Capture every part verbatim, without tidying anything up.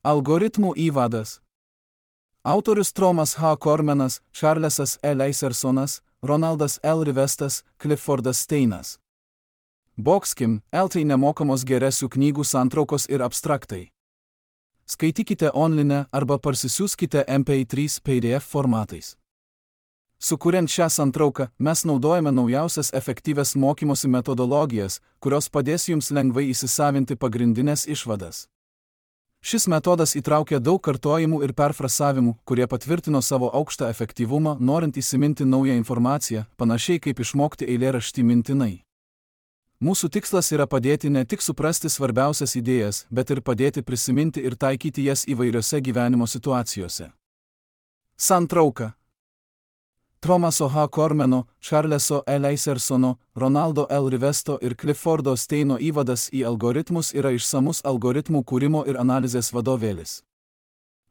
Algoritmų įvadas. Autorius Thomas H. Cormanas, Charlesas E. Leisersonas, Ronaldas L. Rivestas, Cliffordas Steinas. Boxkim, L. Tai nemokamos geresių knygų santraukos ir abstraktai. Skaitykite online arba parsisiųskite M P trys P D F formatais. Sukuriant šią santrauką, mes naudojame naujausias efektyvias mokymosi metodologijas, kurios padės jums lengvai įsisavinti pagrindinės išvadas. Šis metodas įtraukia daug kartojimų ir perfrasavimų, kurie patvirtino savo aukštą efektyvumą, norint įsiminti naują informaciją, panašiai kaip išmokti eilėraštį mintinai. Mūsų tikslas yra padėti ne tik suprasti svarbiausias idėjas, bet ir padėti prisiminti ir taikyti jas įvairiose gyvenimo situacijose. Santrauka. Thomaso H. Cormano, Charleso E. Leisersono, Ronaldo L. Rivesto ir Cliffordo Steino įvadas į algoritmus yra išsamus algoritmų kūrimo ir analizės vadovėlis.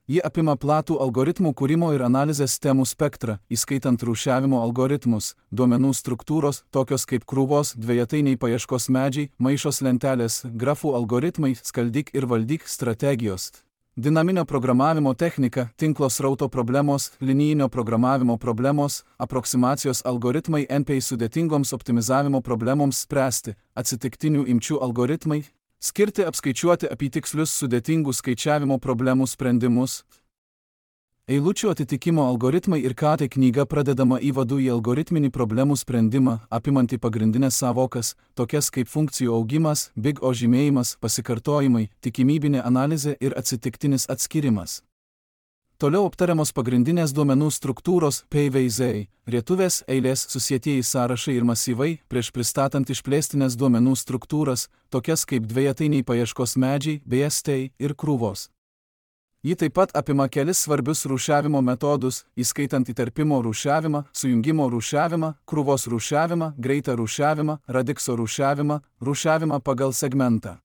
Ji apima platų algoritmų kūrimo ir analizės temų spektrą, įskaitant rūšiavimo algoritmus, duomenų struktūros, tokios kaip krūvos, dvejetainiai paieškos medžiai, maišos lentelės, grafų algoritmai, skaldyk ir valdyk strategijos. Dinaminio programavimo technika, tinklo srauto problemos, linijinio programavimo problemos, aproksimacijos algoritmai N P I sudėtingoms optimizavimo problemoms spręsti, atsitiktinių imčių algoritmai, skirti apskaičiuoti apytikslius sudėtingų skaičiavimo problemų sprendimus. Eilučių atitikimo algoritmai ir ką tai knyga pradedama įvadu į algoritminį problemų sprendimą, apimantį pagrindinės savokas, tokias kaip funkcijų augimas, Big O žymėjimas, pasikartojimai, tikimybinė analizė ir atsitiktinis atskirimas. Toliau aptariamos pagrindinės duomenų struktūros P V Z, rietuvės, eilės, susietieji sąrašai ir masyvai, prieš pristatant išplėstinės duomenų struktūras, tokias kaip dvejetainiai paieškos medžiai, B S T ir krūvos. Ji taip pat apima kelis svarbius rūšiavimo metodus, įskaitant įterpimo rūšiavimą, sujungimo rūšiavimą, krūvos rūšiavimą, greitą rūšiavimą, radikso rūšiavimą, rūšiavimą pagal segmentą.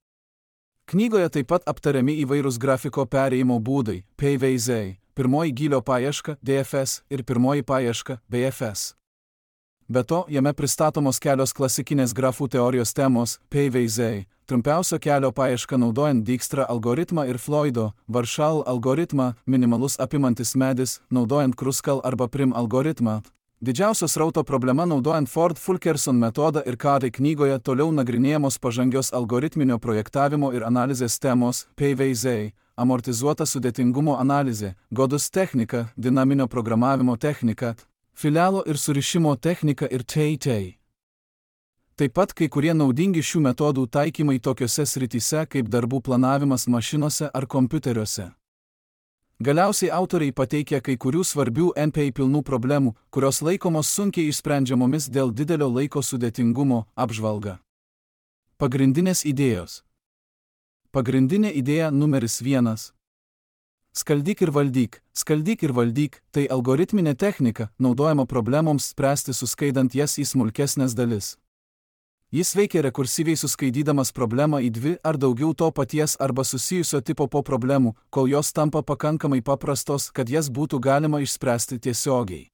Knygoje taip pat aptariami įvairūs grafiko perėjimo būdai, P V Z, pirmoji gylio paieška, D F S ir pirmoji paieška, B F S. Be to, jame pristatomos kelios klasikinės grafų teorijos temos, P V Z, trumpiausio kelio paieška naudojant Dijkstra algoritmą ir Floydo, Warshall algoritmą, minimalus apimantis medis, naudojant Kruskal arba Prim algoritmą. Didžiausios srauto problema naudojant Ford-Fulkerson metodą ir ką tai knygoje toliau nagrinėjamos pažangios algoritminio projektavimo ir analizės temos, P V Z, amortizuota sudėtingumo analizė, Godus technika, dinaminio programavimo technika, filialo ir surišimo technika ir T T. Taip pat kai kurie naudingi šių metodų taikymai tokiose srityse kaip darbų planavimas mašinose ar kompiuteriuose. Galiausiai autoriai pateikia kai kurių svarbių N P I pilnų problemų, kurios laikomos sunkiai išsprendžiamomis dėl didelio laiko sudėtingumo, apžvalga. Pagrindinės idėjos. Pagrindinė idėja numeris vienas. Skaldyk ir valdyk. Skaldyk ir valdyk – tai algoritminė technika, naudojama problemoms spręsti suskaidant jas į smulkesnės dalis. Jis veikia rekursyviai suskaidydamas problemą į dvi ar daugiau to paties arba susijusio tipo po problemų, kol jos tampa pakankamai paprastos, kad jas būtų galima išspręsti tiesiogiai.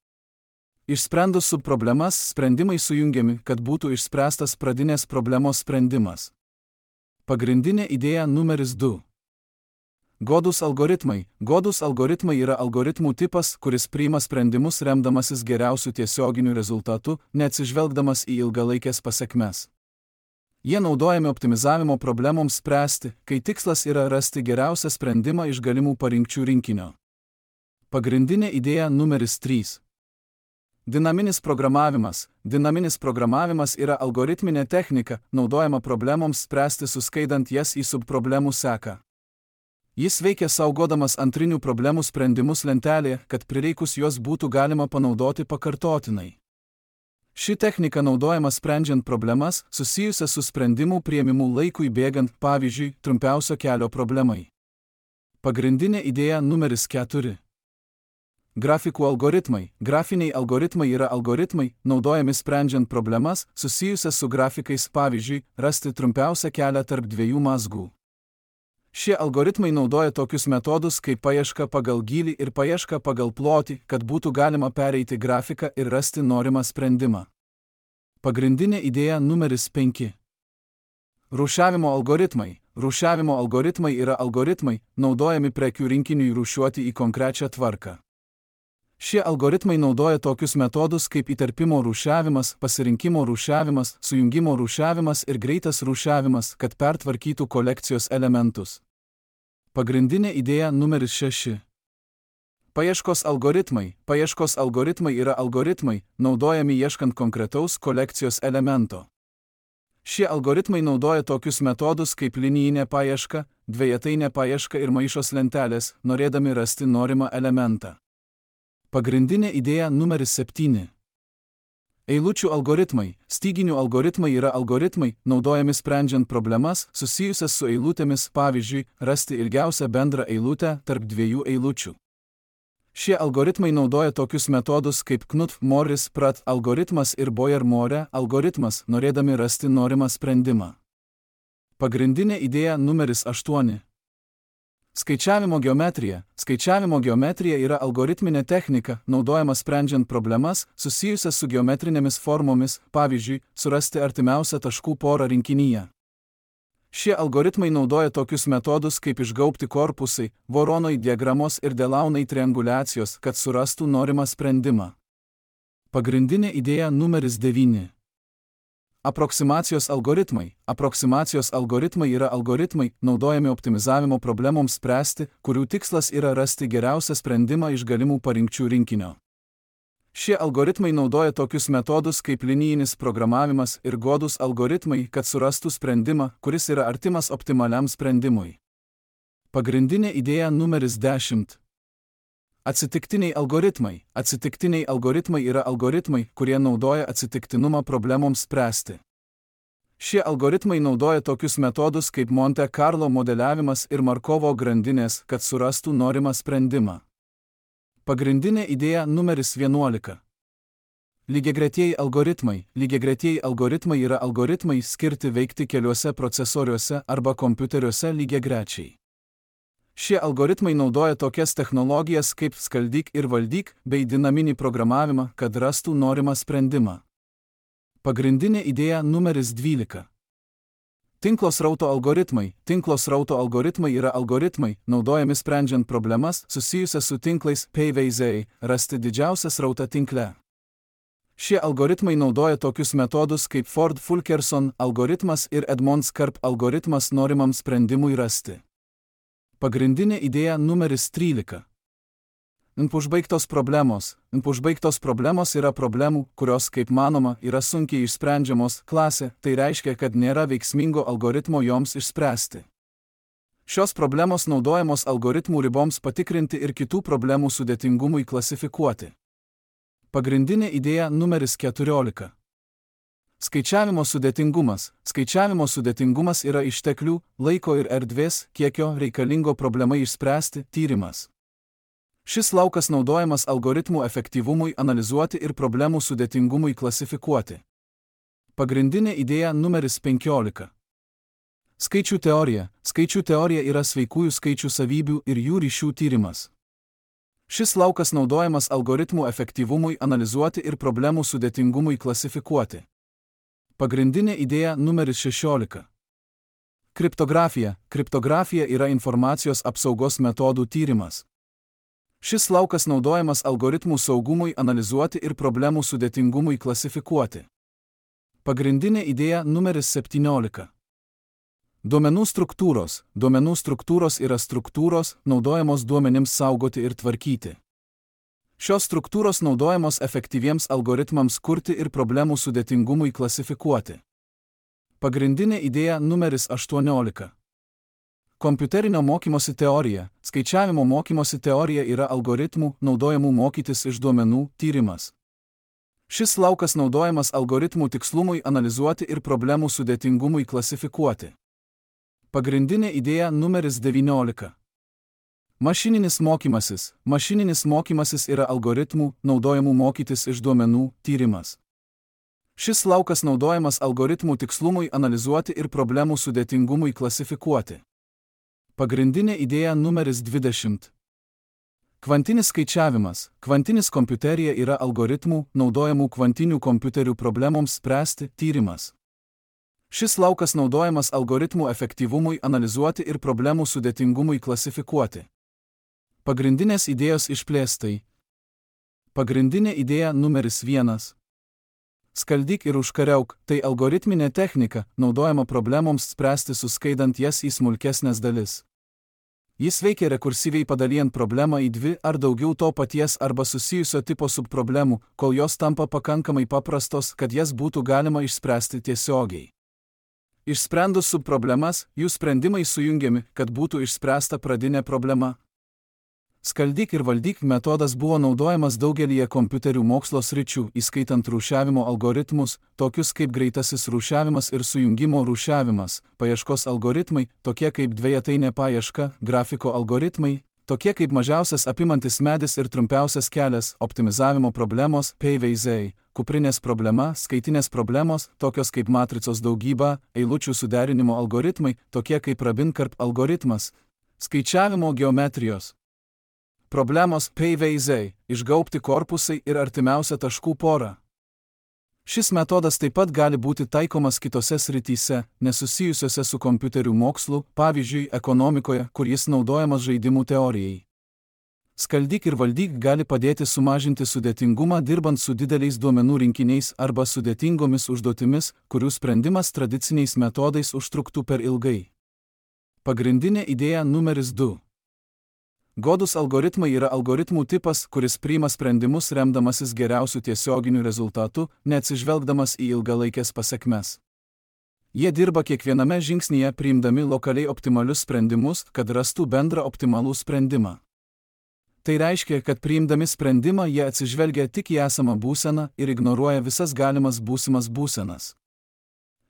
Išsprendus subproblemas, sprendimai sujungiami, kad būtų išspręstas pradinės problemos sprendimas. Pagrindinė idėja numeris du. Godus algoritmai. Godus algoritmai yra algoritmų tipas, kuris priima sprendimus remdamasis geriausių tiesioginių rezultatų, neatsižvelgdamas į ilgalaikės pasekmes. Jie naudojami optimizavimo problemoms spręsti, kai tikslas yra rasti geriausią sprendimą iš galimų parinkčių rinkinio. Pagrindinė idėja numeris trys. Dinaminis programavimas. Dinaminis programavimas yra algoritminė technika, naudojama problemoms spręsti suskaidant jas į subproblemų seką. Jis veikia saugodamas antrinių problemų sprendimus lentelėje, kad prireikus juos būtų galima panaudoti pakartotinai. Ši technika naudojama sprendžiant problemas, susijusias su sprendimų priėmimu laikui bėgant, pavyzdžiui, trumpiausio kelio problemai. Pagrindinė idėja numeris keturi. Grafikų algoritmai. Grafiniai algoritmai yra algoritmai, naudojami sprendžiant problemas, susijusias su grafikais, pavyzdžiui, rasti trumpiausią kelią tarp dviejų mazgų. Šie algoritmai naudoja tokius metodus kaip paieška pagal gylį ir paieška pagal plotį, kad būtų galima pereiti grafiką ir rasti norimą sprendimą. Pagrindinė idėja numeris penki. Rūšiavimo algoritmai. rūšiavimo algoritmai yra algoritmai, naudojami prekių rinkiniui rūšiuoti į konkrečią tvarką. Šie algoritmai naudoja tokius metodus kaip įterpimo rūšiavimas, pasirinkimo rūšiavimas, sujungimo rūšiavimas ir greitas rūšiavimas, kad pertvarkytų kolekcijos elementus. Pagrindinė idėja numeris šeši. Paieškos algoritmai. Paieškos algoritmai yra algoritmai, naudojami ieškant konkretaus kolekcijos elemento. Šie algoritmai naudoja tokius metodus kaip linijinė paieška, dvejetainė paieška ir maišos lentelės, norėdami rasti norimą elementą. Pagrindinė idėja numeris septyni. Eilučių algoritmai. Styginių algoritmai yra algoritmai, naudojami sprendžiant problemas susijusias su eilutėmis, pavyzdžiui, rasti ilgiausią bendrą eilutę tarp dviejų eilučių. Šie algoritmai naudoja tokius metodus kaip Knuth-Morris-Pratt algoritmas ir Boyer-More algoritmas, norėdami rasti norimą sprendimą. Pagrindinė idėja numeris aštuoni. Skaičiavimo geometrija. Skaičiavimo geometrija yra algoritminė technika, naudojama sprendžiant problemas susijusias su geometrinėmis formomis, pavyzdžiui, surasti artimiausią taškų porą rinkinyje. Šie algoritmai naudoja tokius metodus kaip išgaubti korpusai, Voronoj diagramos ir Delaunay trianguliacijos, kad surastų norimą sprendimą. Pagrindinė idėja numeris devyni. Aproksimacijos algoritmai. Aproksimacijos algoritmai yra algoritmai, naudojami optimizavimo problemoms spręsti, kurių tikslas yra rasti geriausią sprendimą iš galimų parinkčių rinkinio. Šie algoritmai naudoja tokius metodus kaip linijinis programavimas ir godūs algoritmai, kad surastų sprendimą, kuris yra artimas optimaliam sprendimui. Pagrindinė idėja numeris dešimt. Atsitiktiniai algoritmai. Atsitiktiniai algoritmai yra algoritmai, kurie naudoja atsitiktinumą problemoms spręsti. Šie algoritmai naudoja tokius metodus kaip Monte Carlo modeliavimas ir Markovo grandinės, kad surastų norimą sprendimą. Pagrindinė idėja numeris vienuolika. Lygiagretieji algoritmai. Lygiagretieji algoritmai yra algoritmai skirti veikti keliuose procesoriuose arba kompiuteriuose lygiagrečiai. Šie algoritmai naudoja tokias technologijas kaip skaldyk ir valdyk bei dinaminį programavimą, kad rastų norimą sprendimą. Pagrindinė idėja numeris dvylika. Tinklo srauto algoritmai. Tinklo srauto algoritmai yra algoritmai, naudojami sprendžiant problemas susijusias su tinklais P V Z, rasti didžiausią srautą tinkle. Šie algoritmai naudoja tokius metodus kaip Ford-Fulkerson algoritmas ir Edmonds-Karp algoritmas norimam sprendimui rasti. Pagrindinė idėja numeris trylika. Neužbaigtos problemos. Neužbaigtos problemos yra problemų, kurios, kaip manoma, yra sunkiai išsprendžiamos klasė, tai reiškia, kad nėra veiksmingo algoritmo joms išspręsti. Šios problemos naudojamos algoritmų riboms patikrinti ir kitų problemų sudėtingumui klasifikuoti. Pagrindinė idėja numeris keturiolika. Skaičiavimo sudėtingumas. Skaičiavimo sudėtingumas yra išteklių, laiko ir erdvės, kiekio reikalingo problemai išspręsti tyrimas. Šis laukas naudojamas algoritmų efektyvumui analizuoti ir problemų sudėtingumui klasifikuoti. Pagrindinė idėja numeris penkiolika. Skaičių teorija. Skaičių teorija yra sveikųjų skaičių savybių ir jų ryšių tyrimas. Šis laukas naudojamas algoritmų efektyvumui analizuoti ir problemų sudėtingumui klasifikuoti. Pagrindinė idėja numeris šešiolika. Kriptografija. Kriptografija yra informacijos apsaugos metodų tyrimas. Šis laukas naudojamas algoritmų saugumui analizuoti ir problemų sudėtingumui klasifikuoti. Pagrindinė idėja numeris septyniolika. Duomenų struktūros. Duomenų struktūros yra struktūros, naudojamos duomenims saugoti ir tvarkyti. Šios struktūros naudojamos efektyviems algoritmams kurti ir problemų sudėtingumui klasifikuoti. Pagrindinė idėja numeris aštuoniolika. Kompiuterinio mokymosi teorija. Skaičiavimo mokymosi teorija yra algoritmų, naudojamų mokytis iš duomenų, tyrimas. Šis laukas naudojamas algoritmų tikslumui analizuoti ir problemų sudėtingumui klasifikuoti. Pagrindinė idėja numeris devyniolika. Mašininis mokymasis. Mašininis mokymasis yra algoritmų, naudojamų mokytis iš duomenų, tyrimas. Šis laukas naudojamas algoritmų tikslumui analizuoti ir problemų sudėtingumui klasifikuoti. Pagrindinė idėja numeris dvidešimt. Kvantinis skaičiavimas. Kvantinis kompiuterija yra algoritmų, naudojamų kvantinių kompiuterių problemoms spręsti, tyrimas. Šis laukas naudojamas algoritmų efektyvumui analizuoti ir problemų sudėtingumui klasifikuoti. Pagrindinės idėjos išplėstai. Pagrindinė idėja numeris vienas. Skaldyk ir užkariauk – tai algoritminė technika, naudojama problemoms spręsti suskaidant jas į smulkesnės dalis. Jis veikia rekursyviai padalijant problemą į dvi ar daugiau to paties arba susijusio tipo subproblemų, kol jos tampa pakankamai paprastos, kad jas būtų galima išspręsti tiesiogiai. Išsprendus subproblemas, jų sprendimai sujungiami, kad būtų išspręsta pradinė problema. Skaldyk ir valdyk metodas buvo naudojamas daugelyje kompiuterių mokslo sričių, įskaitant rūšiavimo algoritmus, tokius kaip greitasis rūšiavimas ir sujungimo rūšiavimas, paieškos algoritmai, tokie kaip dvejetainė paieška, grafiko algoritmai, tokie kaip mažiausias apimantis medis ir trumpiausias kelias, optimizavimo problemos, P V Z, kuprinės problema, skaitinės problemos, tokios kaip matricos daugyba, eilučių suderinimo algoritmai, tokie kaip Rabin-Karp algoritmas, skaičiavimo geometrijos problemos P V Z, išgaubti korpusai ir artimiausia taškų pora. Šis metodas taip pat gali būti taikomas kitose srityse, nesusijusiose su kompiuterių mokslu, pavyzdžiui, ekonomikoje, kur jis naudojamas žaidimų teorijai. Skaldyk ir valdyk gali padėti sumažinti sudėtingumą dirbant su dideliais duomenų rinkiniais arba sudėtingomis užduotimis, kurių sprendimas tradiciniais metodais užtruktų per ilgai. Pagrindinė idėja numeris du. Godūs algoritmai yra algoritmų tipas, kuris priima sprendimus remdamasis geriausių tiesioginių rezultatų, neatsižvelgdamas į ilgalaikės pasekmes. Jie dirba kiekviename žingsnyje priimdami lokaliai optimalius sprendimus, kad rastų bendrą optimalų sprendimą. Tai reiškia, kad priimdami sprendimą jie atsižvelgia tik į esamą būseną ir ignoruoja visas galimas būsimas būsenas.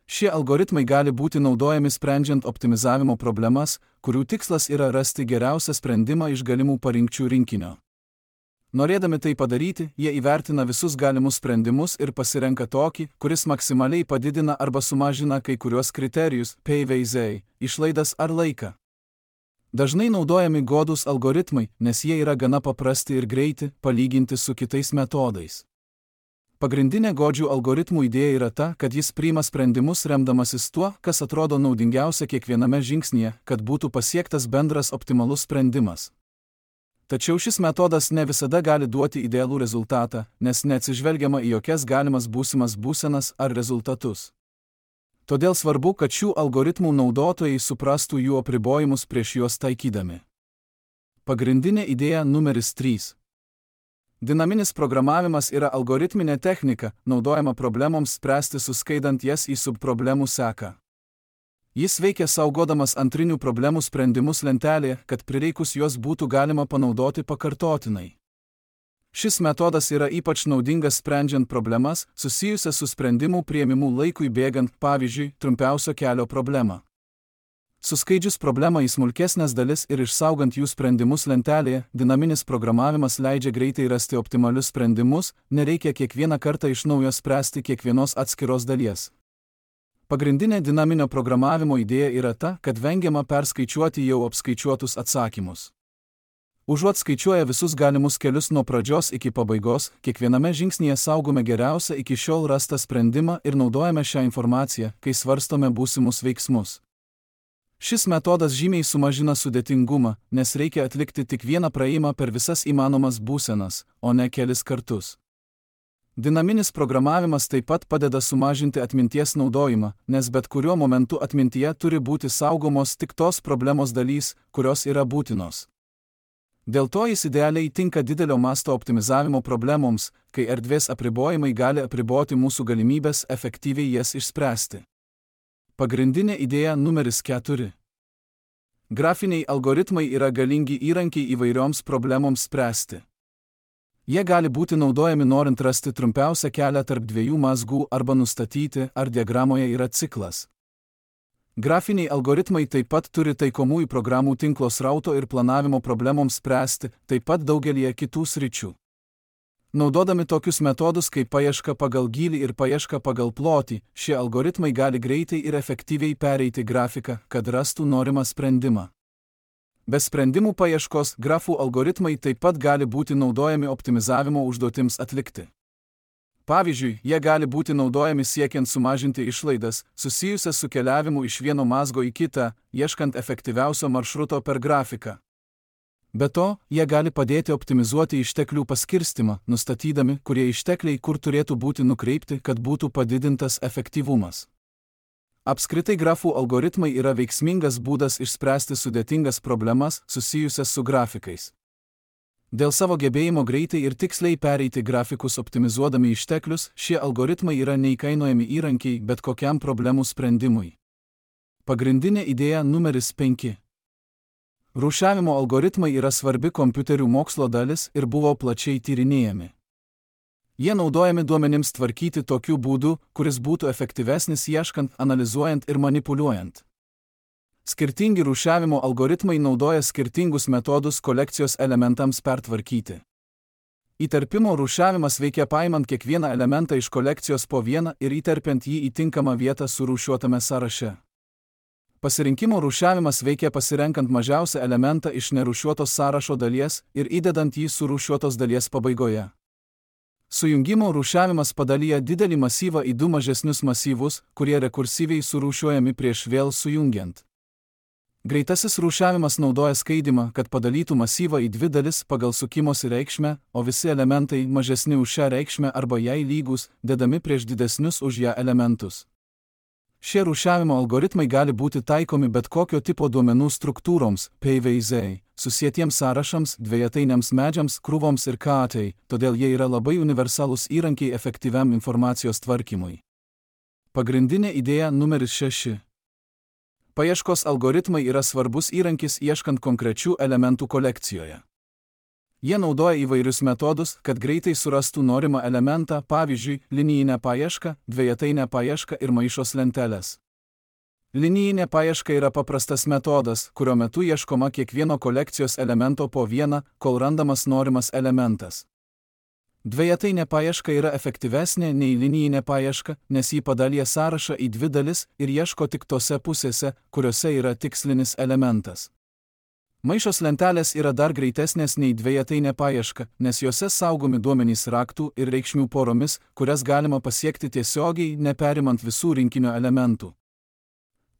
Šie algoritmai gali būti naudojami sprendžiant optimizavimo problemas, kurių tikslas yra rasti geriausią sprendimą iš galimų parinkčių rinkinio. Norėdami tai padaryti, jie įvertina visus galimus sprendimus ir pasirenka tokį, kuris maksimaliai padidina arba sumažina kai kuriuos kriterijus, P V Z, išlaidas ar laiką. Dažnai naudojami godūs algoritmai, nes jie yra gana paprasti ir greiti, palyginti su kitais metodais. Pagrindinė godžių algoritmų idėja yra ta, kad jis priima sprendimus remdamasis tuo, kas atrodo naudingiausia kiekviename žingsnyje, kad būtų pasiektas bendras optimalus sprendimas. Tačiau šis metodas ne visada gali duoti idealų rezultatą, nes neatsižvelgiama į jokias galimas būsimas būsenas ar rezultatus. Todėl svarbu, kad šių algoritmų naudotojai suprastų jų apribojimus prieš juos taikydami. Pagrindinė idėja numeris trys. Dinaminis programavimas yra algoritminė technika, naudojama problemoms spręsti suskaidant jas į subproblemų seką. Jis veikia saugodamas antrinių problemų sprendimus lentelėje, kad prireikus juos būtų galima panaudoti pakartotinai. Šis metodas yra ypač naudingas sprendžiant problemas, susijusias su sprendimų priėmimu laikui bėgant, pavyzdžiui, trumpiausio kelio problemą. Suskaidžius problemą į smulkesnės dalis ir išsaugant jų sprendimus lentelėje, dinaminis programavimas leidžia greitai rasti optimalius sprendimus, nereikia kiekvieną kartą iš naujo spręsti kiekvienos atskiros dalies. Pagrindinė dinaminio programavimo idėja yra ta, kad vengiama perskaičiuoti jau apskaičiuotus atsakymus. Užuot skaičiuoja visus galimus kelius nuo pradžios iki pabaigos, kiekviename žingsnyje saugome geriausią iki šiol rastą sprendimą ir naudojame šią informaciją, kai svarstome būsimus veiksmus. Šis metodas žymiai sumažina sudėtingumą, nes reikia atlikti tik vieną praėjimą per visas įmanomas būsenas, o ne kelis kartus. Dinaminis programavimas taip pat padeda sumažinti atminties naudojimą, nes bet kuriuo momentu atmintyje turi būti saugomos tik tos problemos dalys, kurios yra būtinos. Dėl to jis idealiai tinka didelio masto optimizavimo problemoms, kai erdvės apribojimai gali apriboti mūsų galimybės efektyviai jas išspręsti. Pagrindinė idėja numeris keturi. Grafiniai algoritmai yra galingi įrankiai įvairioms problemoms spręsti. Jie gali būti naudojami norint rasti trumpiausią kelią tarp dviejų mazgų arba nustatyti, ar diagramoje yra ciklas. Grafiniai algoritmai taip pat turi taikomųjų programų tinklo srauto ir planavimo problemoms spręsti, taip pat daugelyje kitų sričių. Naudodami tokius metodus kaip paieška pagal gylį ir paieška pagal plotį, šie algoritmai gali greitai ir efektyviai pereiti grafiką, kad rastų norimą sprendimą. Be sprendimų paieškos, grafų algoritmai taip pat gali būti naudojami optimizavimo užduotims atlikti. Pavyzdžiui, jie gali būti naudojami siekiant sumažinti išlaidas, susijusias su keliavimu iš vieno mazgo į kitą, ieškant efektyviausio maršruto per grafiką. Be to, jie gali padėti optimizuoti išteklių paskirstimą, nustatydami, kurie ištekliai kur turėtų būti nukreipti, kad būtų padidintas efektyvumas. Apskritai grafų algoritmai yra veiksmingas būdas išspręsti sudėtingas problemas susijusias su grafikais. Dėl savo gebėjimo greitai ir tiksliai pereiti grafikus optimizuodami išteklius, šie algoritmai yra neįkainojami įrankiai bet kokiam problemų sprendimui. Pagrindinė idėja numeris penki. Rūšiavimo algoritmai yra svarbi kompiuterių mokslo dalis ir buvo plačiai tyrinėjami. Jie naudojami duomenims tvarkyti tokiu būdu, kuris būtų efektyvesnis ieškant, analizuojant ir manipuliuojant. Skirtingi rūšiavimo algoritmai naudoja skirtingus metodus kolekcijos elementams pertvarkyti. Įterpimo rūšiavimas veikia paimant kiekvieną elementą iš kolekcijos po vieną ir įterpiant jį į tinkamą vietą surūšiuotame sąraše. Pasirinkimo rūšiavimas veikia pasirenkant mažiausią elementą iš nerūšiuotos sąrašo dalies ir įdedant jį surūšiuotos dalies pabaigoje. Sujungimo rūšiavimas padalyja didelį masyvą į du mažesnius masyvus, kurie rekursyviai surūšiuojami prieš vėl sujungiant. Greitasis rūšiavimas naudoja skaidymą, kad padalytų masyvą į dvi dalis pagal sukimosi reikšmę, o visi elementai mažesni už šią reikšmę arba jai lygus, dedami prieš didesnius už ją elementus. Šie rūšiavimo algoritmai gali būti taikomi bet kokio tipo duomenų struktūroms, P V Z, susietiems sąrašams, dvejetainiams medžiams, krūvoms ir K A T, todėl jie yra labai universalūs įrankiai efektyviam informacijos tvarkymui. Pagrindinė idėja numeris šeši. Paieškos algoritmai yra svarbus įrankis ieškant konkrečių elementų kolekcijoje. Jie naudoja įvairius metodus, kad greitai surastų norimą elementą, pavyzdžiui, linijinę paiešką, dvejetainę paiešką ir maišos lenteles. Linijinė paieška yra paprastas metodas, kurio metu ieškoma kiekvieno kolekcijos elemento po vieną, kol randamas norimas elementas. Dvejetainė paieška yra efektyvesnė nei linijinė paieška, nes jį padalyja sąrašą į dvi dalis ir ieško tik tose pusėse, kuriuose yra tikslinis elementas. Maišos lentelės yra dar greitesnės nei dvejetainė paieška, nes juose saugomi duomenys raktų ir reikšmių poromis, kurias galima pasiekti tiesiogiai, neperimant visų rinkinio elementų.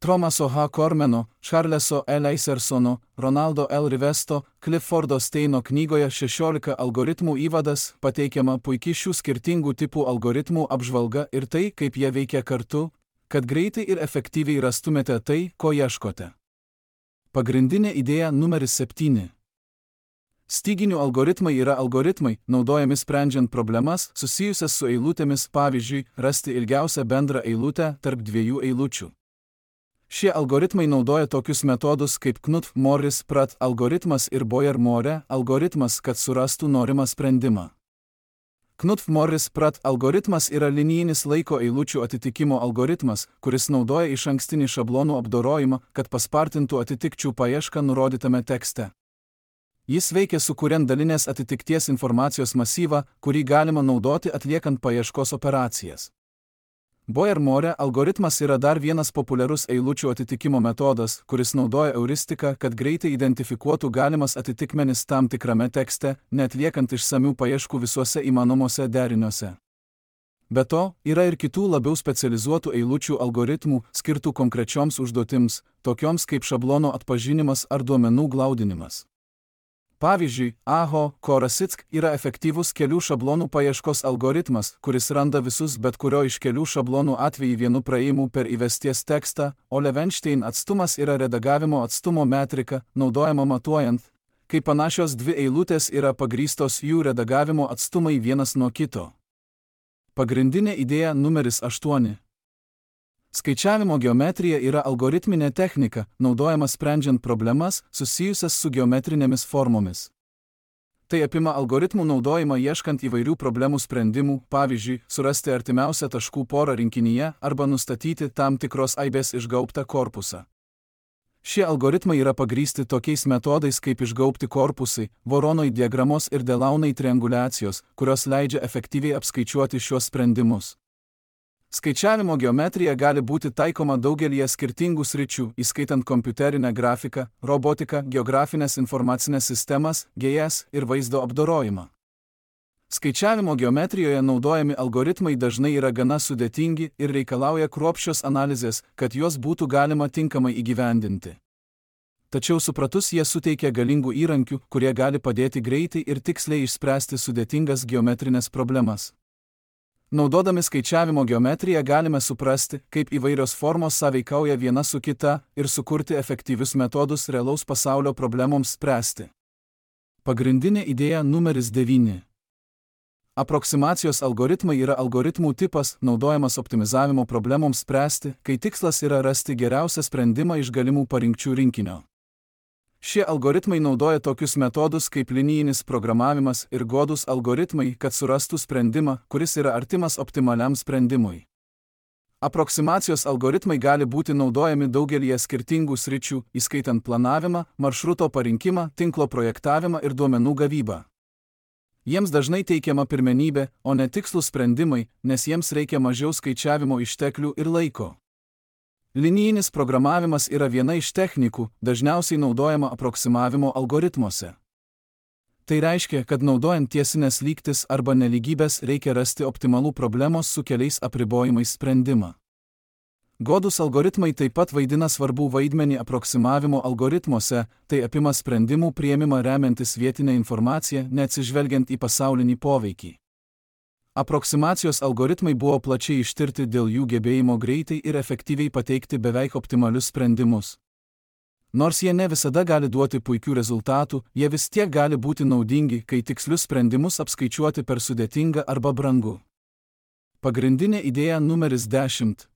Thomaso H. Cormano, Charleso E. Leisersono, Ronaldo L. Rivesto, Cliffordo Steino knygoje šešiolika algoritmų įvadas pateikiama puikiai šių skirtingų tipų algoritmų apžvalga ir tai, kaip jie veikia kartu, kad greitai ir efektyviai rastumėte tai, ko ieškote. Pagrindinė idėja numeris septyni. Styginių algoritmai yra algoritmai, naudojami sprendžiant problemas susijusias su eilutėmis, pavyzdžiui, rasti ilgiausią bendrą eilutę tarp dviejų eilučių. Šie algoritmai naudoja tokius metodus kaip Knuth-Morris-Pratt algoritmas ir Boyer-More algoritmas, kad surastų norimą sprendimą. Knuth-Morris-Pratt algoritmas yra linijinis laiko eilučių atitikimo algoritmas, kuris naudoja išankstinį šablonų apdorojimą, kad paspartintų atitikčių paiešką nurodytame tekste. Jis veikia sukuriant dalinės atitikties informacijos masyvą, kurį galima naudoti atliekant paieškos operacijas. Boyer-More algoritmas yra dar vienas populiarus eilučių atitikimo metodas, kuris naudoja euristiką, kad greitai identifikuotų galimas atitikmenis tam tikrame tekste, neatliekant išsamių paieškų visuose įmanomuose deriniuose. Be to, yra ir kitų labiau specializuotų eilučių algoritmų, skirtų konkrečioms užduotims, tokioms kaip šablono atpažinimas ar duomenų glaudinimas. Pavyzdžiui, A H O Korasitsk yra efektyvus kelių šablonų paieškos algoritmas, kuris randa visus bet kurio iš kelių šablonų atvejį vienu praėjimu per įvesties tekstą, o Levenstein atstumas yra redagavimo atstumo metrika, naudojama matuojant, kai panašios dvi eilutės yra pagrįstos jų redagavimo atstumai vienas nuo kito. Pagrindinė idėja numeris aštuoni. Skaičiavimo geometrija yra algoritminė technika, naudojama sprendžiant problemas susijusias su geometrinėmis formomis. Tai apima algoritmų naudojimą ieškant įvairių problemų sprendimų, pavyzdžiui, surasti artimiausią taškų porą rinkinyje arba nustatyti tam tikros aibės išgaubtą korpusą. Šie algoritmai yra pagrįsti tokiais metodais kaip išgaubti korpusai, Voronoj diagramos ir Delaunay trianguliacijos, kurios leidžia efektyviai apskaičiuoti šiuos sprendimus. Skaičiavimo geometrija gali būti taikoma daugelyje skirtingų sričių, įskaitant kompiuterinę grafiką, robotiką, geografinės informacinės sistemas, G I S ir vaizdo apdorojimą. Skaičiavimo geometrijoje naudojami algoritmai dažnai yra gana sudėtingi ir reikalauja kruopščios analizės, kad juos būtų galima tinkamai įgyvendinti. Tačiau supratus jie suteikia galingų įrankių, kurie gali padėti greitai ir tiksliai išspręsti sudėtingas geometrinės problemas. Naudodami skaičiavimo geometriją galime suprasti, kaip įvairios formos sąveikauja viena su kita ir sukurti efektyvius metodus realaus pasaulio problemoms spręsti. Pagrindinė idėja numeris devyni. Aproksimacijos algoritmai yra algoritmų tipas, naudojamas optimizavimo problemoms spręsti, kai tikslas yra rasti geriausią sprendimą iš galimų parinkčių rinkinio. Šie algoritmai naudoja tokius metodus kaip linijinis programavimas ir godūs algoritmai, kad surastų sprendimą, kuris yra artimas optimaliam sprendimui. Aproksimacijos algoritmai gali būti naudojami daugelyje skirtingų sričių, įskaitant planavimą, maršruto parinkimą, tinklo projektavimą ir duomenų gavybą. Jiems dažnai teikiama pirmenybė, o ne tikslūs sprendimai, nes jiems reikia mažiau skaičiavimo išteklių ir laiko. Linijinis programavimas yra viena iš technikų, dažniausiai naudojama aproksimavimo algoritmuose. Tai reiškia, kad naudojant tiesinės lygtis arba nelygybės reikia rasti optimalų problemos su keliais apribojimais sprendimą. Godūs algoritmai taip pat vaidina svarbų vaidmenį aproksimavimo algoritmuose, tai apima sprendimų priėmimą remiantis vietinę informaciją, neatsižvelgiant į pasaulinį poveikį. Aproksimacijos algoritmai buvo plačiai ištirti dėl jų gebėjimo greitai ir efektyviai pateikti beveik optimalius sprendimus. Nors jie ne visada gali duoti puikių rezultatų, jie vis tiek gali būti naudingi, kai tikslius sprendimus apskaičiuoti per sudėtinga arba brangu. Pagrindinė idėja numeris dešimt.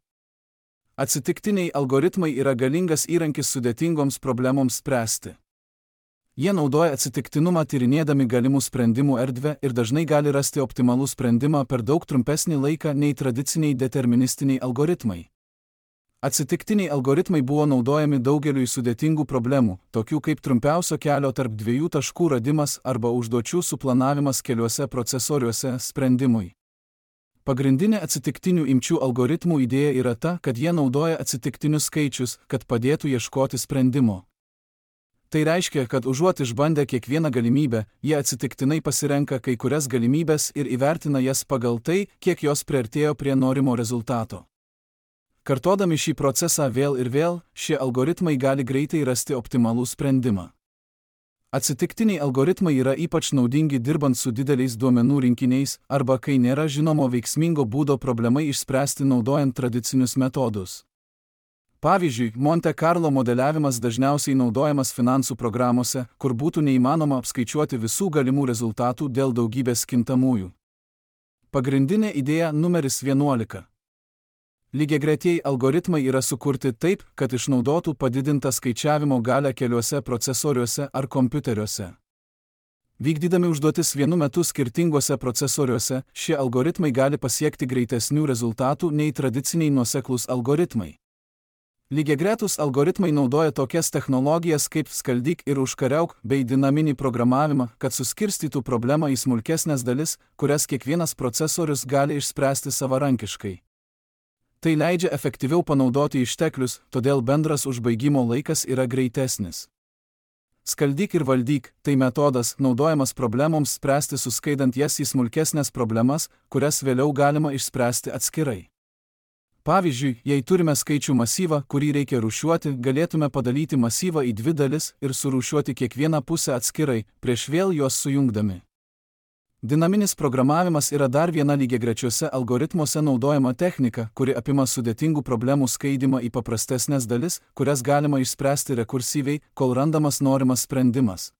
Atsitiktiniai algoritmai yra galingas įrankis sudėtingoms problemoms spręsti. Jie naudoja atsitiktinumą tyrinėdami galimų sprendimų erdvę ir dažnai gali rasti optimalų sprendimą per daug trumpesnį laiką nei tradiciniai deterministiniai algoritmai. Atsitiktiniai algoritmai buvo naudojami daugeliui sudėtingų problemų, tokių kaip trumpiausio kelio tarp dviejų taškų radimas arba užduočių suplanavimas keliuose procesoriuose sprendimui. Pagrindinė atsitiktinių imčių algoritmų idėja yra ta, kad jie naudoja atsitiktinius skaičius, kad padėtų ieškoti sprendimo. Tai reiškia, kad užuot išbandę kiekvieną galimybę, jie atsitiktinai pasirenka kai kurias galimybės ir įvertina jas pagal tai, kiek jos priartėjo prie norimo rezultato. Kartodami šį procesą vėl ir vėl, šie algoritmai gali greitai rasti optimalų sprendimą. Atsitiktiniai algoritmai yra ypač naudingi dirbant su dideliais duomenų rinkiniais arba kai nėra žinomo veiksmingo būdo problemai išspręsti naudojant tradicinius metodus. Pavyzdžiui, Monte Carlo modeliavimas dažniausiai naudojamas finansų programuose, kur būtų neįmanoma apskaičiuoti visų galimų rezultatų dėl daugybės kintamųjų. Pagrindinė idėja numeris vienuolika. Lygiagretieji algoritmai yra sukurti taip, kad išnaudotų padidintą skaičiavimo galią keliuose procesoriuose ar kompiuteriuose. Vykdydami užduotis vienu metu skirtinguose procesoriuose, šie algoritmai gali pasiekti greitesnių rezultatų nei tradiciniai nuoseklūs algoritmai. Lygiagretus algoritmai naudoja tokias technologijas kaip skaldyk ir užkariauk bei dinaminį programavimą, kad suskirstytų problemą į smulkesnes dalis, kurias kiekvienas procesorius gali išspręsti savarankiškai. Tai leidžia efektyviau panaudoti išteklius, todėl bendras užbaigimo laikas yra greitesnis. Skaldyk ir valdyk – tai metodas, naudojamas problemoms spręsti suskaidant jas į smulkesnės problemas, kurias vėliau galima išspręsti atskirai. Pavyzdžiui, jei turime skaičių masyvą, kurį reikia rūšiuoti, galėtume padalyti masyvą į dvi dalis ir surūšiuoti kiekvieną pusę atskirai, prieš vėl juos sujungdami. Dinaminis programavimas yra dar viena lygiagrečiuose algoritmuose naudojama technika, kuri apima sudėtingų problemų skaidymą į paprastesnės dalis, kurias galima išspręsti rekursyviai, kol randamas norimas sprendimas.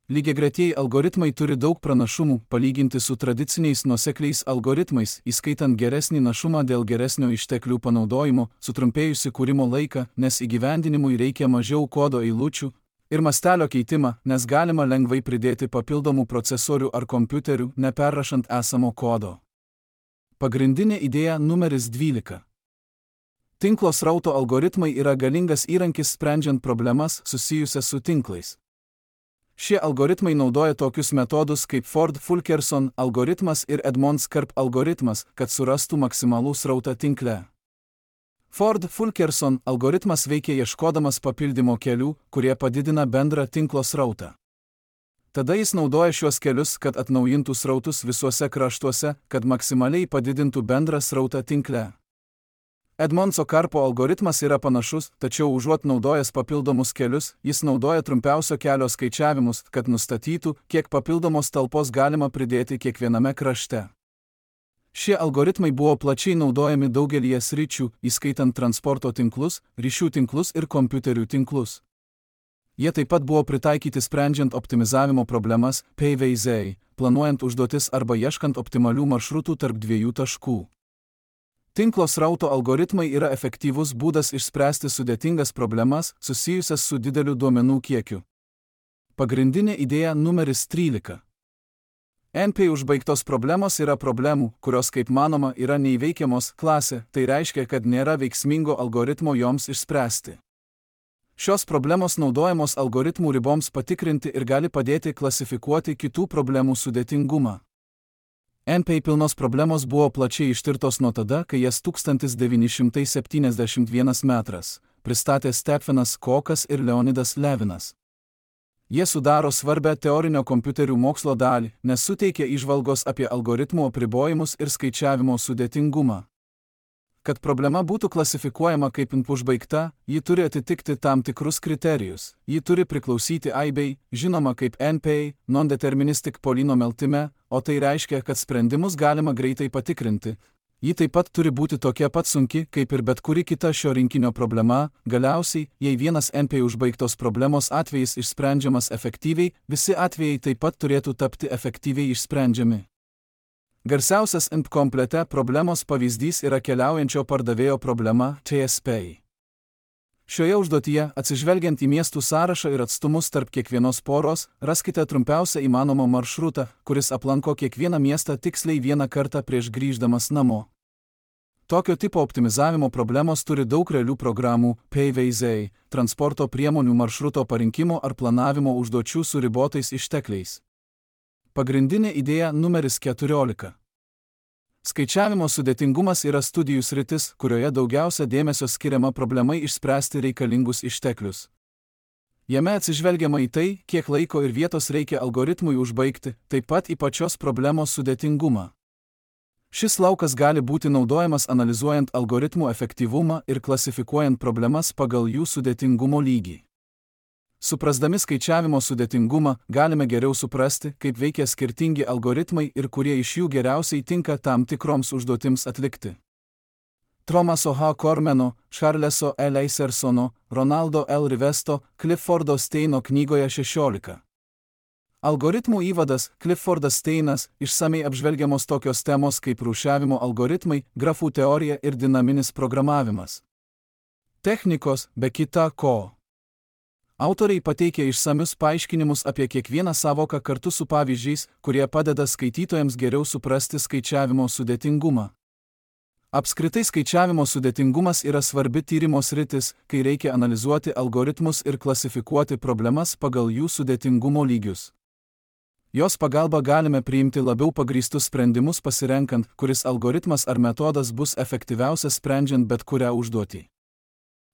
Lygiagretieji algoritmai turi daug pranašumų, palyginti su tradiciniais nuosekliais algoritmais, įskaitant geresnį našumą dėl geresnio išteklių panaudojimo, sutrumpėjusi kūrimo laiką, nes įgyvendinimui reikia mažiau kodo eilučių, ir mastelio keitimą, nes galima lengvai pridėti papildomų procesorių ar kompiuterių, neperrašant esamo kodo. Pagrindinė idėja numeris dvylika. Tinklo srauto algoritmai yra galingas įrankis sprendžiant problemas susijusias su tinklais. Šie algoritmai naudoja tokius metodus kaip Ford-Fulkerson algoritmas ir Edmonds-Karp algoritmas, kad surastų maksimalų srautą tinkle. Ford-Fulkerson algoritmas veikia ieškodamas papildymo kelių, kurie padidina bendrą tinklo srautą. Tada jis naudoja šiuos kelius, kad atnaujintų srautus visuose kraštuose, kad maksimaliai padidintų bendrą srautą tinkle. Edmondso Karpo algoritmas yra panašus, tačiau užuot naudojęs papildomus kelius, jis naudoja trumpiausio kelio skaičiavimus, kad nustatytų, kiek papildomos talpos galima pridėti kiekviename krašte. Šie algoritmai buvo plačiai naudojami daugelyje sričių, įskaitant transporto tinklus, ryšių tinklus ir kompiuterių tinklus. Jie taip pat buvo pritaikyti sprendžiant optimizavimo problemas, P V Z, planuojant užduotis arba ieškant optimalių maršrutų tarp dviejų taškų. Tinklo srauto algoritmai yra efektyvus būdas išspręsti sudėtingas problemas susijusias su dideliu duomenų kiekiu. Pagrindinė idėja numeris trylika. N P užbaigtos problemos yra problemų, kurios, kaip manoma, yra neįveikiamos klasė, tai reiškia, kad nėra veiksmingo algoritmo joms išspręsti. Šios problemos naudojamos algoritmų riboms patikrinti ir gali padėti klasifikuoti kitų problemų sudėtingumą. N P pilnos problemos buvo plačiai ištirtos nuo tada, kai jas tūkstantis devyni šimtai septyniasdešimt vienas metras pristatė Stephenas Kokas ir Leonidas Levinas. Jie sudaro svarbę teorinio kompiuterių mokslo dalį, nes suteikia įžvalgos apie algoritmų apribojimus ir skaičiavimo sudėtingumą. Kad problema būtų klasifikuojama kaip užbaigta, ji turi atitikti tam tikrus kriterijus. Ji turi priklausyti aibei, žinoma kaip N P, non-deterministic polynomial time, o tai reiškia, kad sprendimus galima greitai patikrinti. Ji taip pat turi būti tokia pat sunki, kaip ir bet kuri kita šio rinkinio problema. Galiausiai, jei vienas N P užbaigtos problemos atvejis išsprendžiamas efektyviai, visi atvejai taip pat turėtų tapti efektyviai išsprendžiami. Garsiausias N P komplete problemos pavyzdys yra keliaujančio pardavėjo problema T S P. Šioje užduotyje, atsižvelgiant į miestų sąrašą ir atstumus tarp kiekvienos poros, raskite trumpiausią įmanomą maršrutą, kuris aplanko kiekvieną miestą tiksliai vieną kartą prieš grįždamas namo. Tokio tipo optimizavimo problemos turi daug realių programų, P V Z, transporto priemonių maršruto parinkimo ar planavimo užduočių su ribotais ištekliais. Pagrindinė idėja numeris keturiolika. Skaičiavimo sudėtingumas yra studijų sritis, kurioje daugiausia dėmesio skiriama problemai išspręsti reikalingus išteklius. Jame atsižvelgiama į tai, kiek laiko ir vietos reikia algoritmui užbaigti, taip pat į pačios problemos sudėtingumą. Šis laukas gali būti naudojamas analizuojant algoritmų efektyvumą ir klasifikuojant problemas pagal jų sudėtingumo lygį. Suprasdami skaičiavimo sudėtingumą, galime geriau suprasti, kaip veikia skirtingi algoritmai ir kurie iš jų geriausiai tinka tam tikroms užduotims atlikti. Thomaso H. Cormano, Charleso L. Eisersono, Ronaldo L. Rivesto, Cliffordo Steino knygoje šešiolika. Algoritmų įvadas, Cliffordas Steinas, išsamei apžvelgiamos tokios temos kaip rūšiavimo algoritmai, grafų teorija ir dinaminis programavimas. Technikos, be kita ko. Autoriai pateikia išsamius paaiškinimus apie kiekvieną sąvoką kartu su pavyzdžiais, kurie padeda skaitytojams geriau suprasti skaičiavimo sudėtingumą. Apskritai skaičiavimo sudėtingumas yra svarbi tyrimo sritis, kai reikia analizuoti algoritmus ir klasifikuoti problemas pagal jų sudėtingumo lygius. Jos pagalba galime priimti labiau pagrįstus sprendimus pasirenkant, kuris algoritmas ar metodas bus efektyviausias sprendžiant bet kurią užduotį.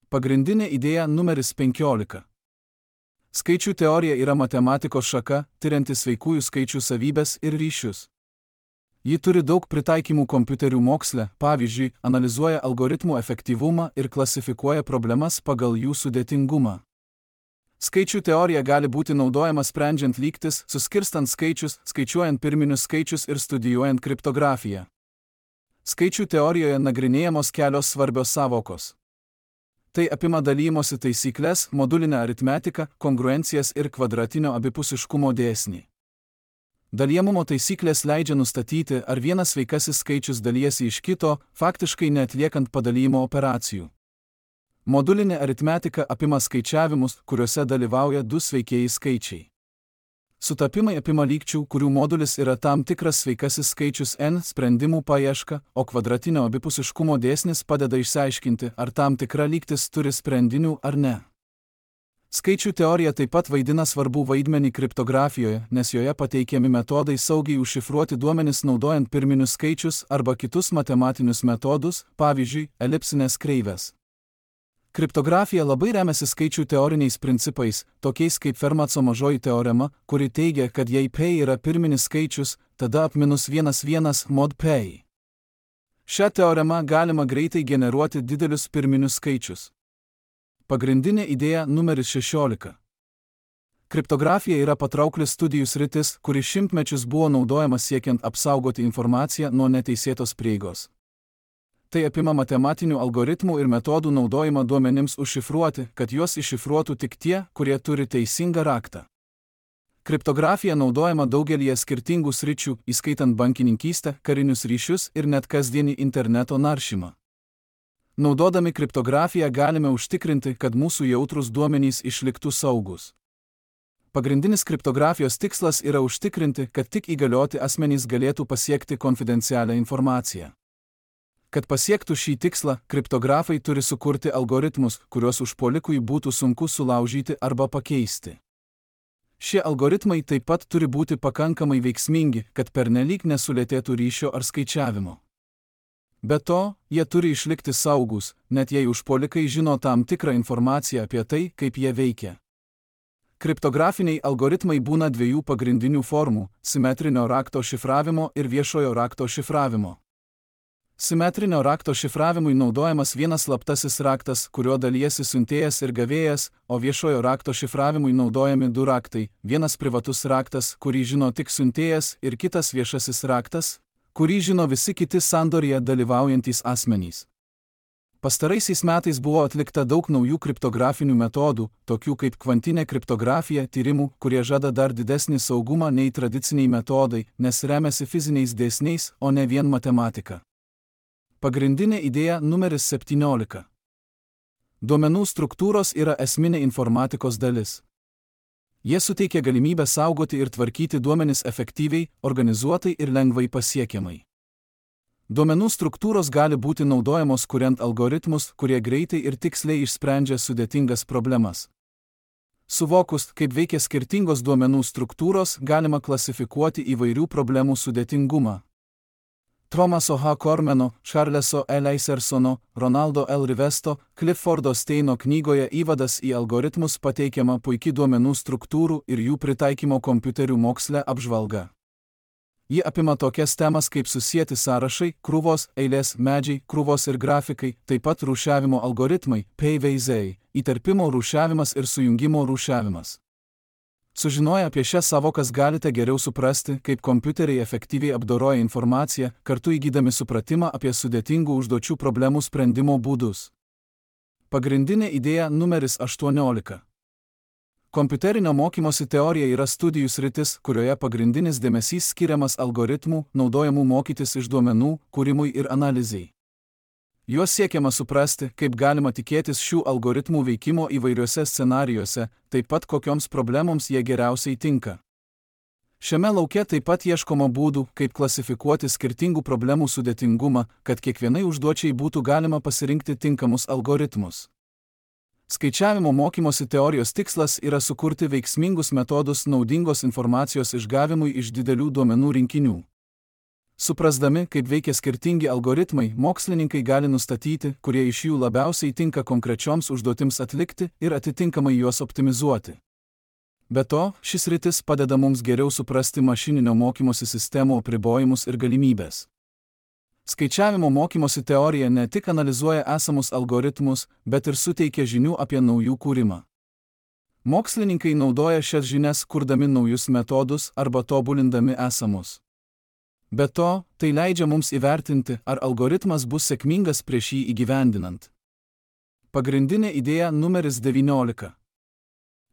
Pagrindinė idėja numeris penkiolika. Skaičių teorija yra matematikos šaka, tirianti sveikųjų skaičių savybes ir ryšius. Ji turi daug pritaikymų kompiuterių moksle, pavyzdžiui, analizuoja algoritmų efektyvumą ir klasifikuoja problemas pagal jų sudėtingumą. Skaičių teorija gali būti naudojama sprendžiant lygtis, suskirstant skaičius, skaičiuojant pirminius skaičius ir studijuojant kriptografiją. Skaičių teorijoje nagrinėjamos kelios svarbios sąvokos. Tai apima dalymosi taisyklės, modulinę aritmetiką, kongruencijas ir kvadratinio abipusiškumo dėsnį. Dalijamumo taisyklės leidžia nustatyti, ar vienas sveikasis skaičius dalijasi iš kito, faktiškai neatliekant padalijimo operacijų. Modulinė aritmetika apima skaičiavimus, kuriuose dalyvauja du sveikieji skaičiai. Sutapimai apima lygčių, kurių modulis yra tam tikras sveikasis skaičius n sprendimų paieška, o kvadratinio abipusiškumo dėsnis padeda išsiaiškinti, ar tam tikra lygtis turi sprendinių ar ne. Skaičių teorija taip pat vaidina svarbų vaidmenį kriptografijoje, nes joje pateikiami metodai saugiai užšifruoti duomenis naudojant pirminius skaičius arba kitus matematinius metodus, pavyzdžiui, elipsinės kreivės. Kriptografija labai remiasi skaičių teoriniais principais, tokiais kaip Fermaco mažoji teorema, kuri teigia, kad jei P yra pirminis skaičius, tada ap minus vienas vienas mod P. Šią teoremą galima greitai generuoti didelius pirminius skaičius. Pagrindinė idėja numeris šešiolika. Kriptografija yra patraukli studijų sritis, kuri šimtmečius buvo naudojama siekiant apsaugoti informaciją nuo neteisėtos prieigos. Tai apima matematinių algoritmų ir metodų naudojimą duomenims užšifruoti, kad juos iššifruotų tik tie, kurie turi teisingą raktą. Kriptografija naudojama daugelyje skirtingų sričių, įskaitant bankininkystę, karinius ryšius ir net kasdienį interneto naršymą. Naudodami kriptografiją galime užtikrinti, kad mūsų jautrūs duomenys išliktų saugus. Pagrindinis kriptografijos tikslas yra užtikrinti, kad tik įgalioti asmenys galėtų pasiekti konfidencialią informaciją. Kad pasiektų šį tikslą, kriptografai turi sukurti algoritmus, kuriuos užpuolikui būtų sunku sulaužyti arba pakeisti. Šie algoritmai taip pat turi būti pakankamai veiksmingi, kad pernelyg nesulėtėtų ryšio ar skaičiavimo. Be to, jie turi išlikti saugus, net jei užpuolikai žino tam tikrą informaciją apie tai, kaip jie veikia. Kriptografiniai algoritmai būna dviejų pagrindinių formų – simetrinio rakto šifravimo ir viešojo rakto šifravimo. Simetrinio rakto šifravimui naudojamas vienas slaptasis raktas, kuriuo dalijasi siuntėjas ir gavėjas, o viešojo rakto šifravimui naudojami du raktai – vienas privatus raktas, kurį žino tik siuntėjas, ir kitas viešasis raktas, kurį žino visi kiti sandorėje dalyvaujantys asmenys. Pastaraisiais metais buvo atlikta daug naujų kriptografinių metodų, tokių kaip kvantinė kriptografija, tyrimų, kurie žada dar didesnį saugumą nei tradiciniai metodai, nes remiasi fiziniais dėsniais, o ne vien matematika. Pagrindinė idėja numeris septyniolika. Duomenų struktūros yra esminė informatikos dalis. Jie suteikia galimybę saugoti ir tvarkyti duomenis efektyviai, organizuotai ir lengvai pasiekiamai. Duomenų struktūros gali būti naudojamos kuriant algoritmus, kurie greitai ir tiksliai išsprendžia sudėtingas problemas. Suvokus, kaip veikia skirtingos duomenų struktūros, galima klasifikuoti įvairių problemų sudėtingumą. Thomaso H. Cormano, Charleso E. Leisersono, Ronaldo L. Rivesto, Cliffordo Steino knygoje Įvadas į algoritmus pateikiama puikiai duomenų struktūrų ir jų pritaikymo kompiuterių moksle apžvalga. Ji apima tokias temas kaip susieti sąrašai, krūvos, eilės, medžiai, krūvos ir grafikai, taip pat rūšiavimo algoritmai, paveiziai, įterpimo rūšiavimas ir sujungimo rūšiavimas. Sužinoję apie šias savokas galite geriau suprasti, kaip kompiuteriai efektyviai apdoroja informaciją, kartu įgydami supratimą apie sudėtingų užduočių problemų sprendimo būdus. Pagrindinė idėja numeris aštuoniolika. Kompiuterinio mokymosi teorija yra studijų sritis, kurioje pagrindinis dėmesys skiriamas algoritmų, naudojamų mokytis iš duomenų, kūrimui ir analizei. Juos siekiama suprasti, kaip galima tikėtis šių algoritmų veikimo įvairiuose scenarijuose, taip pat kokioms problemoms jie geriausiai tinka. Šiame lauke taip pat ieškoma būdų, kaip klasifikuoti skirtingų problemų sudėtingumą, kad kiekvienai užduočiai būtų galima pasirinkti tinkamus algoritmus. Skaičiavimo mokymosi teorijos tikslas yra sukurti veiksmingus metodus naudingos informacijos išgavimui iš didelių duomenų rinkinių. Suprasdami, kaip veikia skirtingi algoritmai, mokslininkai gali nustatyti, kurie iš jų labiausiai tinka konkrečioms užduotims atlikti ir atitinkamai juos optimizuoti. Be to, šis sritis padeda mums geriau suprasti mašininio mokymosi sistemų apribojimus ir galimybės. Skaičiavimo mokymosi teorija ne tik analizuoja esamus algoritmus, bet ir suteikia žinių apie naujų kūrimą. Mokslininkai naudoja šias žinias kurdami naujus metodus arba tobulindami esamus. Be to, tai leidžia mums įvertinti, ar algoritmas bus sėkmingas prieš jį įgyvendinant. Pagrindinė idėja numeris devyniolika.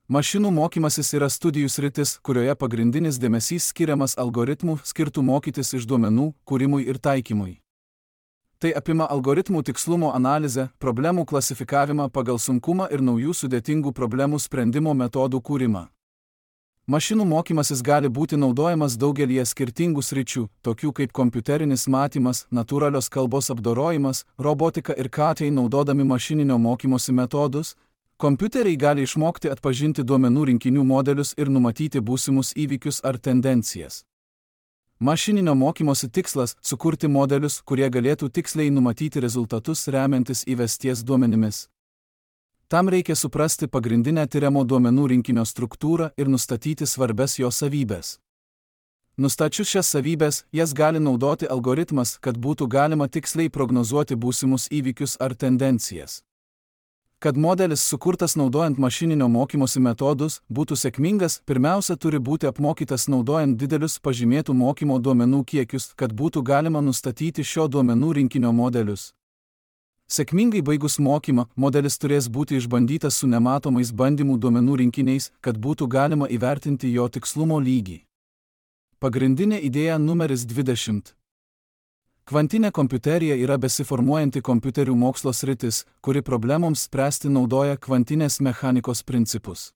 Mašinų mokymasis yra studijų sritis, kurioje pagrindinis dėmesys skiriamas algoritmų skirtų mokytis iš duomenų, kūrimui ir taikymui. Tai apima algoritmų tikslumo analizę, problemų klasifikavimą pagal sunkumą ir naujų sudėtingų problemų sprendimo metodų kūrimą. Mašinų mokymasis gali būti naudojamas daugelyje skirtingų sričių, tokių kaip kompiuterinis matymas, natūralios kalbos apdorojimas, robotika ir K T naudodami mašininio mokymosi metodus. Kompiuteriai gali išmokti atpažinti duomenų rinkinių modelius ir numatyti būsimus įvykius ar tendencijas. Mašininio mokymosi tikslas – sukurti modelius, kurie galėtų tiksliai numatyti rezultatus remiantis įvesties duomenimis. Tam reikia suprasti pagrindinę tiriamo duomenų rinkinio struktūrą ir nustatyti svarbias jo savybės. Nustačius šias savybės, jas gali naudoti algoritmas, kad būtų galima tiksliai prognozuoti būsimus įvykius ar tendencijas. Kad modelis sukurtas naudojant mašininio mokymosi metodus būtų sėkmingas, pirmiausia turi būti apmokytas naudojant didelius pažymėtų mokymo duomenų kiekius, kad būtų galima nustatyti šio duomenų rinkinio modelius. Sėkmingai baigus mokymą, modelis turės būti išbandytas su nematomais bandymų duomenų rinkiniais, kad būtų galima įvertinti jo tikslumo lygį. Pagrindinė idėja numeris dvidešimt. Kvantinė kompiuterija yra besiformuojanti kompiuterių mokslo sritis, kuri problemoms spręsti naudoja kvantinės mechanikos principus.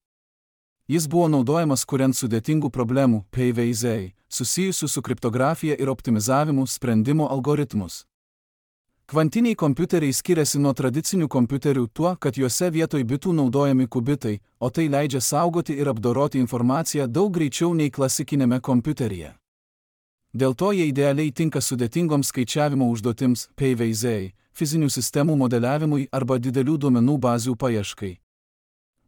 Jis buvo naudojamas kuriant sudėtingų problemų P V Z, susijusių su kriptografija ir optimizavimu sprendimo algoritmus. Kvantiniai kompiuteriai skiriasi nuo tradicinių kompiuterių tuo, kad juose vietoj bitų naudojami kubitai, o tai leidžia saugoti ir apdoroti informaciją daug greičiau nei klasikinėme kompiuteryje. Dėl to jie idealiai tinka sudėtingoms skaičiavimo užduotims P V Z, fizinių sistemų modeliavimui arba didelių duomenų bazių paieškai.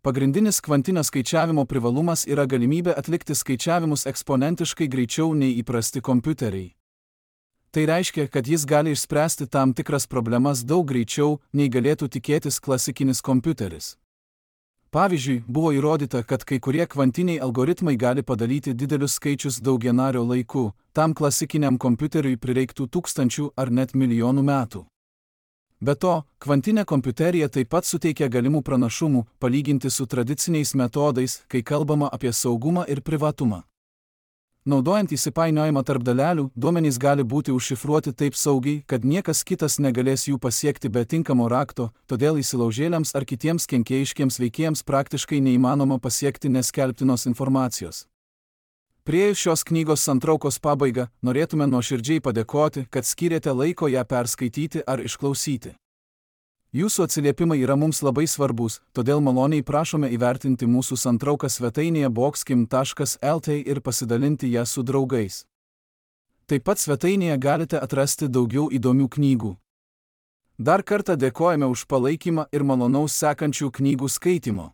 Pagrindinis kvantinio skaičiavimo privalumas yra galimybė atlikti skaičiavimus eksponentiškai greičiau nei įprasti kompiuteriai. Tai reiškia, kad jis gali išspręsti tam tikras problemas daug greičiau, nei galėtų tikėtis klasikinis kompiuteris. Pavyzdžiui, buvo įrodyta, kad kai kurie kvantiniai algoritmai gali padaryti didelius skaičius daugianario laiku, tam klasikiniam kompiuteriui prireiktų tūkstančių ar net milijonų metų. Be to, kvantinė kompiuterija taip pat suteikia galimų pranašumų, palyginti su tradiciniais metodais, kai kalbama apie saugumą ir privatumą. Naudojant įsipainiojimą tarp dalelių, duomenys gali būti užšifruoti taip saugiai, kad niekas kitas negalės jų pasiekti be tinkamo rakto, todėl įsilaužėliams ar kitiems kenkėjiškiems veikėjams praktiškai neįmanoma pasiekti neskelbtinos informacijos. Priėjus šios knygos santraukos pabaigą, norėtume nuoširdžiai padėkoti, kad skyrėte laiko ją perskaityti ar išklausyti. Jūsų atsiliepimai yra mums labai svarbus, todėl maloniai prašome įvertinti mūsų santrauką svetainėje boxkim taškas L T ir pasidalinti ją su draugais. Taip pat svetainėje galite atrasti daugiau įdomių knygų. Dar kartą dėkojame už palaikymą ir malonaus sekančių knygų skaitymo.